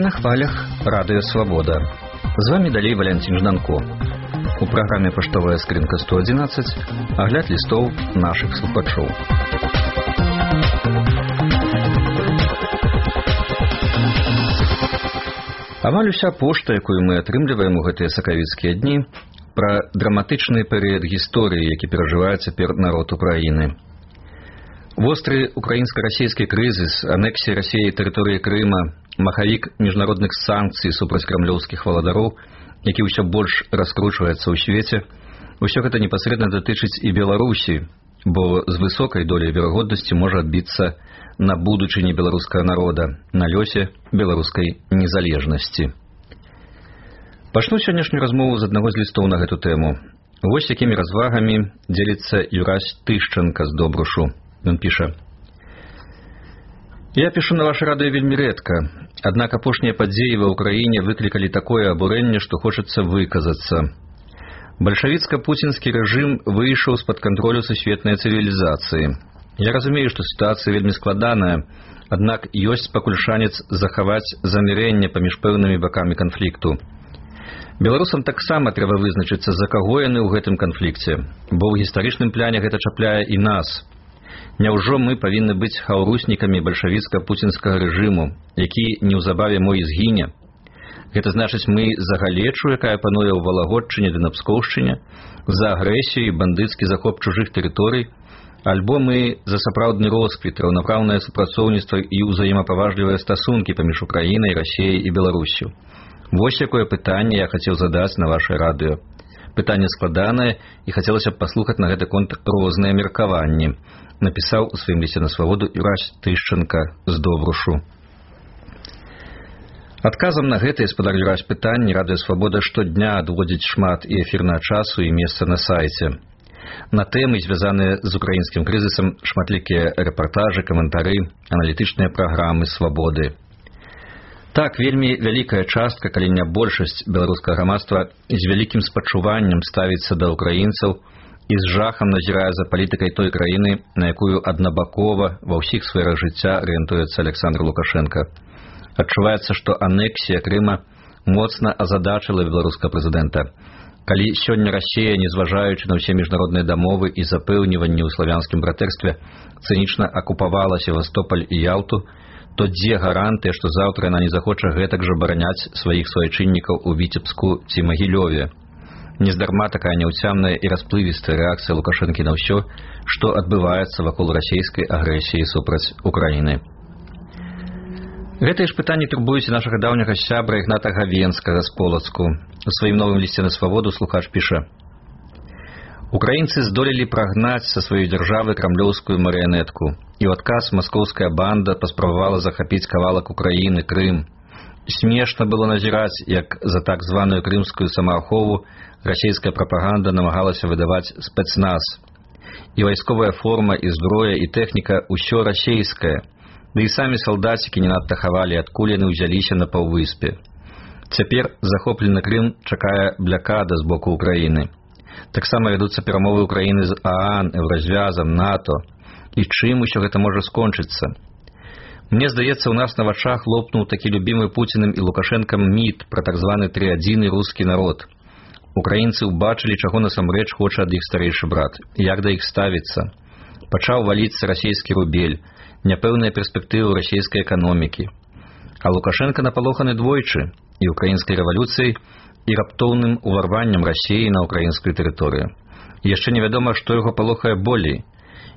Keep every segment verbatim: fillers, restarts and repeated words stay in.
на хвалях Радыё Свабода. З вами далей Валентин Жданко. У праграме «Паштовая скрынка сто одиннадцать» агляд лістоў нашых слухачоў. Амаль уся пошта, якую мы атрымліваем у гэтыя сакавіцкія дні, пра драматычны перыяд гісторыі, які перажывае цяпер народ Украіны. Востры украінска-расійскі крызіс, анексія Расіі тэрыторыі Крыма, махавік міжнародных санкцый супраць крамлёўскіх валадароў, які ўсё больш раскручваецца ў свеце, усё гэта непасрэдна датычыць і Беларусі, бо з высокай доляй верагоднасці можа адбіцца на будучыні беларускага народа, на лёсе беларускай незалежнасці. Пачну сённяшнюю размову з аднаго з лістоў на гэту тэму. Вось якімі развагамі дзеліцца Юрась Тышченка з Добрушу. Ён піша: «Я пишу на ваше радыё вельмі рэдка, аднак апошнія падзеі ва ўкраіне выклікалі такое абурэнне, што хочацца выказацца. Бальшавіцка-пуцінскі рэжым выйшаў з-пад кантролю сусветнай цывілізацыі. Я разумею, што сітуацыя вельмі складаная, аднак ёсць пакуль шанец захаваць замірэнне паміж пэўнымі бакамі канфлікту. Беларусам таксама трэба вызначыцца, за каго яны ў гэтым канфлікце, бо ў гістарычным пляне гэта чапляе і нас. Няўжо мы павінны быць хаўруснікамі бальшавіцка-пуцінскага рэжыму, які неўзабаве мо і згіне? Гэта значыць, мы за галечу, якая пануе ў Валагодчыне ды на Пскоўшчыне, за агрэсію і бандыцкі захоп чужых тэрыторый, альбо мы за сапраўдны росквіт, раўнапраўнае супрацоўніцтва і ўзаемапаважлівыя стасункі паміж Украінай, Расіяй і Беларуссю? Вось якое пытанне я хацеў задаць на ваше радыё. Пытанне складанае, і хацелася б паслухаць на гэты конт розныя меркаванні», напісаў у сваім лісце на свабоду Юрась Тышченка з Добрушу. Адказам на гэтае, спадар Юрась, пытанні Радыё Свабода штодня адводзіць шмат і эфірнага часу, і месца на сайце. На тэмы, звязаныя з украінскім крызісам, шматлікія рэпартажы, каментары, аналітычныя праграмы Свабоды. Так, вельмі вялікая частка, калі не большасць беларускага грамадства з вялікім спачуваннем ставіцца да украінцаў і з жахам назірае за палітыкай той краіны, на якую аднабакова ва ўсіх сферах жыцця арыентуецца Александр Лукашенко. Адчуваецца, што анексія Крыма моцна азадачыла беларускага прэзідэнта. Калі сёння Расія, незважаючы на ўсе міжнародныя дамовы і запэўніванні ў славянскім братэрстве, цынічна акупавала Севастополь і Ялту, то дзе гарантыя, што заўтра яна не захоча гэтак жа бараняць сваіх суайчыннікаў у Віцебску ці Магілёве? Нездарма такая няўцямная і расплывістая рэакцыя Лукашэнкі на ўсё, што адбываецца вакол расійскай агрэсіі супраць Украіны. Гэтыя ж пытанні турбуюць нашага даўняга сябра Ігната Гавенскага з Полацку. У сваім новым лісце на свабоду слухач піша: «Украінцы здолелі прагнаць са сваёй дзяржавы крамлёўскую марыянетку, і ў адказ маскоўская банда паспрабавала захапіць кавалак Украіны, Крым. Смешна было назіраць, як за так званую крымскую самаахову расійская прапаганда намагалася выдаваць спецназ. І вайсковая форма, і зброя, і тэхніка ўсё расійскае, ды і самі салдацікі не надта хавалі, адкуль яны ўзяліся на паўвыспе. Цяпер захоплены Крым чакае блякада з боку Украіны. Таксама вядуцца перамовы Украіны з ААН, Еўразвязам, НАТО. І чым усё гэта можа скончыцца? Мне здаецца, у нас на вачах лопнуў такі любімы Пуціным і Лукашэнкам міт пра так званы трыадзіны рускі народ. Украінцы ўбачылі, чаго насамрэч хоча ад іх старэйшы брат, як да іх ставіцца. Пачаў валіцца расійскі рубель, няпэўныя перспектывы расійскай эканомікі. А Лукашенко напалоханы двойчы, і украінскай рэвалюцыяй, і раптоўным уварваннем Расіі на украінскую тэрыторыю. І яшчэ невядома, што яго палохае болей.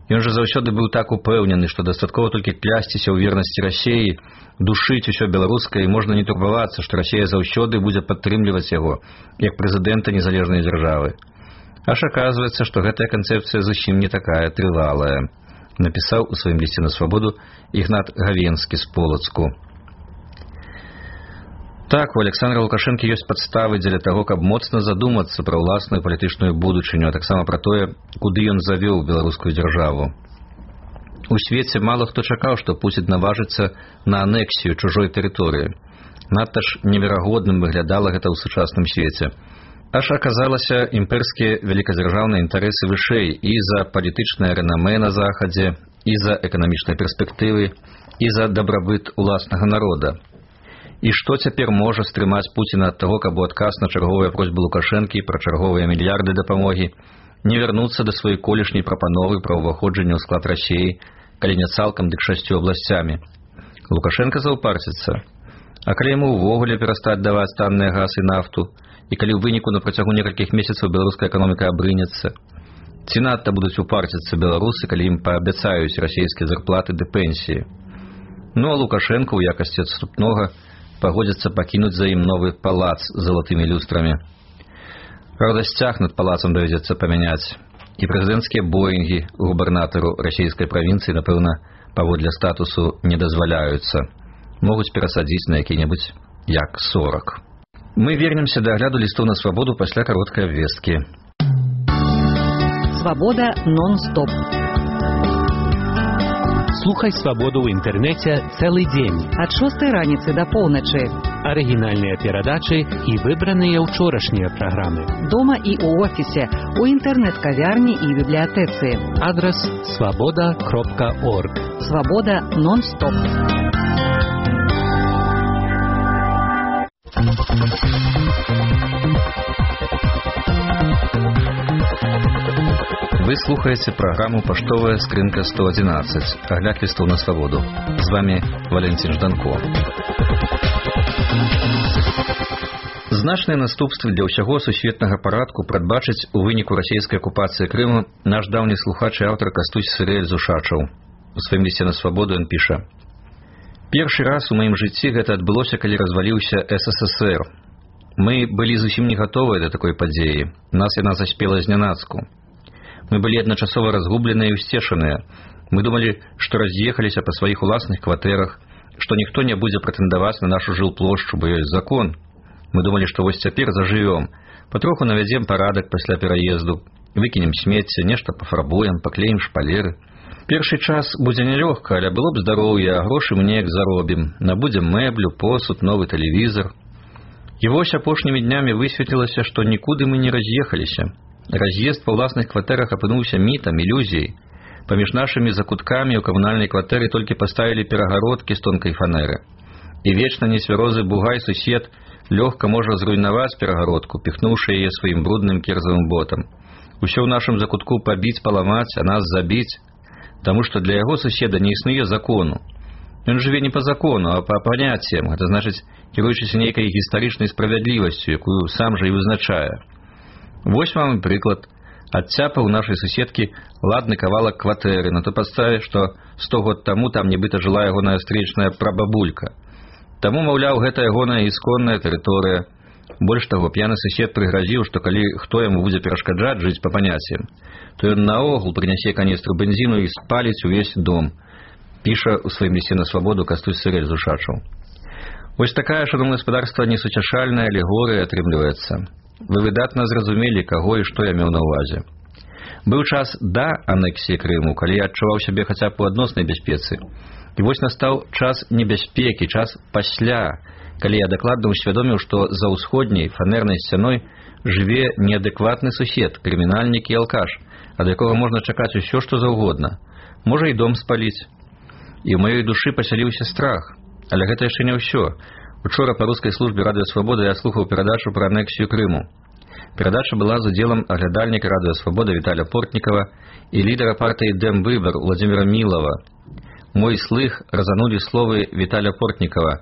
Ён жа заўсёды быў так упэўнены, што дастаткова толькі клясціся ў вернасці Расіі, душыць усё беларускае, і можна не турбавацца, што Расія заўсёды будзе падтрымліваць яго, як прэзідэнта незалежнай дзяржавы. Аж аказваецца, што гэтая канцэпцыя зусім не такая трывалая», напісаў у сваім лісце на свабоду Ігнат Гавенскі з Полацку. Так, у Александра Лукашэнкі ёсць падставы дзеля таго, каб моцна задумацца пра ўласную палітычную будучыню, а таксама пра тое, куды ён завёў беларускую дзяржаву. У свеце мала хто чакаў, што Пуцін наважыцца на анексію чужой тэрыторыі. Надта ж неверагодным выглядала гэта ў сучасным свеце. Аж аказалася, імперскія вялікадзяржаўныя інтарэсы вышэй і за палітычнае рэнамэ на захадзе, і за эканамічныя перспектывы, і за дабрабыт уласнага народа. І што цяпер можа стрымаць Пуціна ад таго, каб у адказ на чарговыя просьбы Лукашэнкі пра чарговыя мільярды дапамогі не вярнуцца да сваёй колішняй прапановы пра ўваходжанне ў склад Расіі, калі не цалкам, дык шасцю абласцямі. Лукашенко заўпарціцца. А калі яму ўвогуле перастаць даваць танныя газ і нафту, і калі ў выніку на працягу некалькіх месяцаў беларуская эканоміка абрынецца, ці надта будуць упарціцца беларусы, калі ім паабяцаюць расійскія зарплаты ды пенсіі. Ну а Лукашенко ў якасці адступнога пагодзіцца пакінуць за ім новы палац з залатымі люстрамі. Правда, сцяг над палацам давядзецца памяняць, і прэзідэнцкія боінгі губернатару расійскай правінцыі, напэўна, паводле статусу не дазваляюцца. Могуць перасадзіць на які-небудзь як сорок. Мы вернемся да агляду лістоў на свабоду пасля кароткай абвесткі. Свабода нон-стоп. Слухай свабоду ў інтэрнэце цэлы дзень. Ад шостай раніцы да поўначы. Арыгінальныя перадачы і выбраныя ўчорашнія праграмы. Дома і ў офісе, у інтэрнэт-кавярні і бібліятэцы. Адрас свабода кропка орг. Свабода нон-стоп. Вы слухаеце праграму «Паштовая скрынка сто адзінаццаць», агляд лістоў на свабоду. З вами Валентин Жданко. Значныя наступствы для ўсяго сусветнага парадку прадбачыць у выніку расійскай акупацыі Крыму наш даўні слухач і аўтар Кастусь Сырэль Зушачаў. У сваім лісце на свабоду ён піша: «Першы раз у маім жыцці гэта адбылося, калі разваліўся эс эс эс эр. Мы былі зусім не гатовыя да такой падзеі. Нас яна заспела знянацку. Мы былі адначасова разгубленыя і ўсцешаныя. Мы думалі, што раз'ехаліся па сваіх уласных кватэрах, што ніхто не будзе прэтэндаваць на нашу жылплошчу, бо ёсць закон. Мы думалі, што вось цяпер зажывём, патроху навядзем парадак пасля пераезду, выкінем смецце, нешта пафарбуем, паклеім шпалеры. Першы час будзе нялёгка, але было б здароўе, а грошы мы неяк заробім. Набудзем мэблю, посуд, новы тэлевізор. І вось апошнімі днямі высветлілася, што нікуды мы не раз'ехаліся. Раз'езд па ўласных кватэрах апынуўся мітам, ілюзіяй. Паміж нашымі закуткамі ў камунальнай кватэры толькі паставілі перагародкі з тонкай фанеры. І вечна несвярозы бугай сусед лёгка можа зруйнаваць перагародку, піхнуўшы яе сваім брудным керзавым ботам. Усё ў нашым закутку пабіць, паламаць, а нас забіць, таму што для яго суседа не існуе закону. Ён жыве не па закону, а па паняццям, гэта значыць, кіруючыся нейкай гістарычнай справядлівасцю, якую сам жа і вызначае. Вось вам і прыклад. Адцяпа ў нашай суседкі ладны кавалак кватэры на той падставе, што сто год таму там нібыта жыла ягоная стречная прабабулька. Таму, маўляў, гэта ягоная ісконная тэрыторыя. Больш таго, п'яны сусед прыгразіў, што калі хто яму будзе перашкаджаць жыць па паняццям, то ён наогул прынясе каністру бензіну і спаліць увесь дом. Піша ў сваім лісце на свабоду Кастусь Сырэль Зушачаў. Вось такая, шановнае гаспадарства, несуцяшальная алегорыя атрымліваецца. Вы выдатна зразумелі, каго і што я меў на ўвазе. Быў час да анексіі Крыму, калі я адчуваў сябе хаця б у адноснай бяспецы. І вось настаў час небяспекі, час пасля, калі я дакладна ўсвядоміў, што за ўсходняй фанернай сцяной жыве неадэкватны сусед, крымінальнік і алкаш, ад якога можна чакаць усё, што заўгодна. Можа і дом спаліць. І ў маёй душы пасяліўся страх. Але гэта яшчэ не ўсё. Учора па рускай службе Радыё Свабода я слухаў перадачу пра анексію Крыму. Перадача была з удзелам аглядальніка Радыё Свабода Віталя Портнікава і лідера партыі Дэмвыбар Владимира Милова. Мой слых разанули словы Виталя Портникова: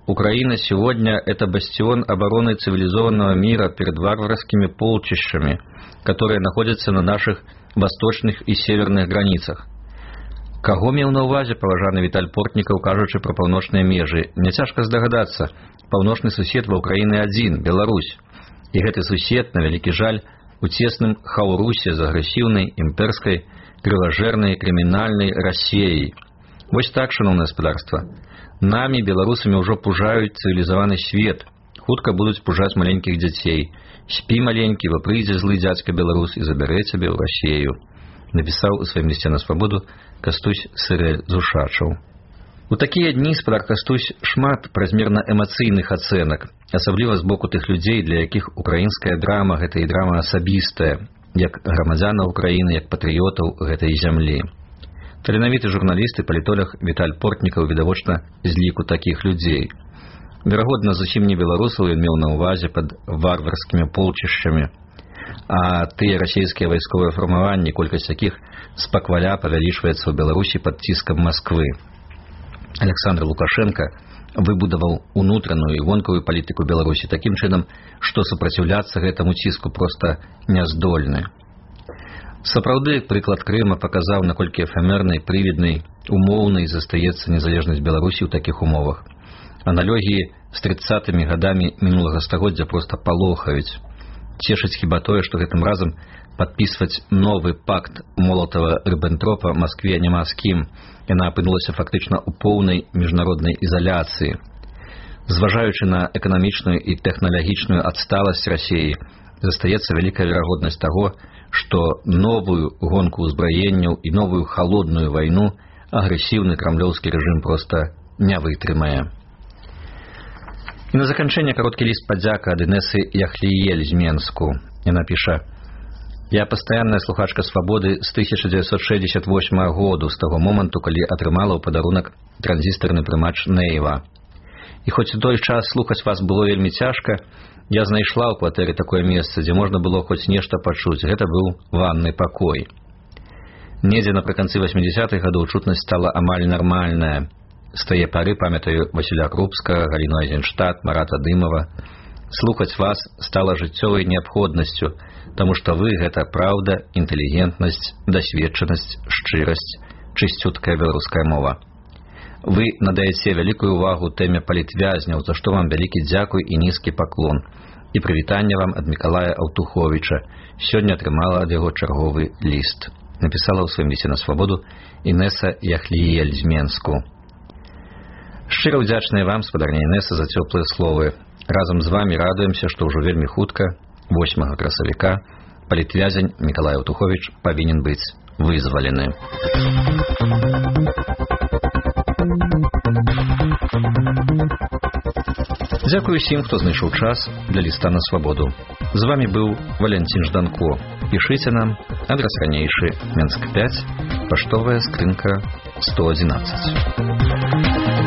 «Украина сегодня – это бастион обороны цивилизованного мира перед варварскими полчищами, которые находятся на наших восточных и северных границах». Каго меў на ўвазе паважаны Віталь Портнікаў, кажучы пра паўночныя межы? Няцяжка здагадацца, паўночны сусед ва ўкраіны адзін – Беларусь. І гэты сусед, на вялікі жаль, у цесным хаўрусе з агрэсіўнай, імперскай, крыважэрнай, крымінальнай Расіяй. Вось так, шановнае гаспадарства. Намі, беларусамі, ўжо пужаюць цывілізаваны свет. Хутка будуць пужаць маленькіх дзяцей. Спі, маленькі, бо прыйдзе злы дзядзька беларус і забярэ цябе ў Расію. Напісаў у сваім лісце на свабоду Кастусь Сырэль Зушачаў. У такія дні спадар Кастусь шмат празмерна эмацыйных ацэнак, асабліва з боку тых людзей, для якіх украінская драма – гэта і драма асабістая, як грамадзянаў Украіны, як патрыётаў гэтай зямлі. Таленавіты журналіст і палітолог Віталь Портнікаў відавочна з ліку такіх людзей. Верагодна, зусім не беларусаў ён меў на ўвазе пад варварскімі полчышчамі, а тыя расійскія вайсковыя фармаванні, колькасць якіх спакваля павялічваецца ў Беларусі пад ціскам Масквы. Александр Лукашенко выбудаваў унутраную і вонкавую палітыку Беларусі такім чынам, што супраціўляцца гэтаму ціску проста няздольны. Сапраўды, прыклад Крыма паказаў, наколькі эфемернай, прывіднай, умоўнай застаецца незалежнасць Беларусі ў такіх умовах. Аналогіі з трыццатымі гадамі мінулага стагоддзя проста палохаюць. Цешыць хіба тое, што гэтым разам падпісваць новы пакт Молотава-Рыббентропа Маскве няма з кім. Яна апынулася фактычна ў поўнай міжнароднай ізаляцыі. Зважаючы на эканамічную і тэхналагічную адсталасць Расіі, застаецца вялікая верагоднасць таго, што новую гонку ўзбраенняў і новую халодную вайну агрэсіўны крамлёўскі рэжым проста не вытрымае. І на заканчэнне кароткі ліст падзяка ад Інесы Яхліель з Менску. Яна піша: «Я пастаянная слухачка «Свабоды» з тысяча дзевяцьсот шэсцьдзесят восьмага году, з таго моманту, калі атрымала ў падарунак транзістарны прымач Нейва. І хоць у той час слухаць вас было вельмі цяжка, я знайшла ў кватэры такое месца, дзе можна было хоць нешта пачуць. Гэта быў ванны пакой. Недзе напрыканцы васьмідзесятых гадоў чутнасць стала амаль нармальная. З тае пары памятаю Васіля Крупскага, Галіну Айзенштадт, Марата Дымова. Слухаць вас стала жыццёвай неабходнасцю, таму што вы — гэта праўда, інтэлігентнасць, дасведчанасць, шчырасць, чысцюткая беларуская мова. Вы надаеце вялікую ўвагу тэме палітвязняў, за што вам вялікі дзякуй і нізкі паклон. І прывітанне вам ад Мікалая Аўтуховіча. Сёння атрымала ад яго чарговы ліст. Напісала ў сваім лісце на «Свабоду» Інеса Яхліель з Менску. Шчыра ўдзячная вам, спадарня Інеса, за цёплыя словы. Разам з вамі радуемся, што ўжо вельмі хутка, восьмага красавіка, палітвязень Мікалай Аўтуховіч павінен быць вызвалены. Дзякую усім, хто знайшоў час для ліста на «Свабоду». З вамі быў Валянцін Жданко. Пішыце нам, адрас ранейшы, Менск пяць, паштовая скрынка сто адзінаццаць.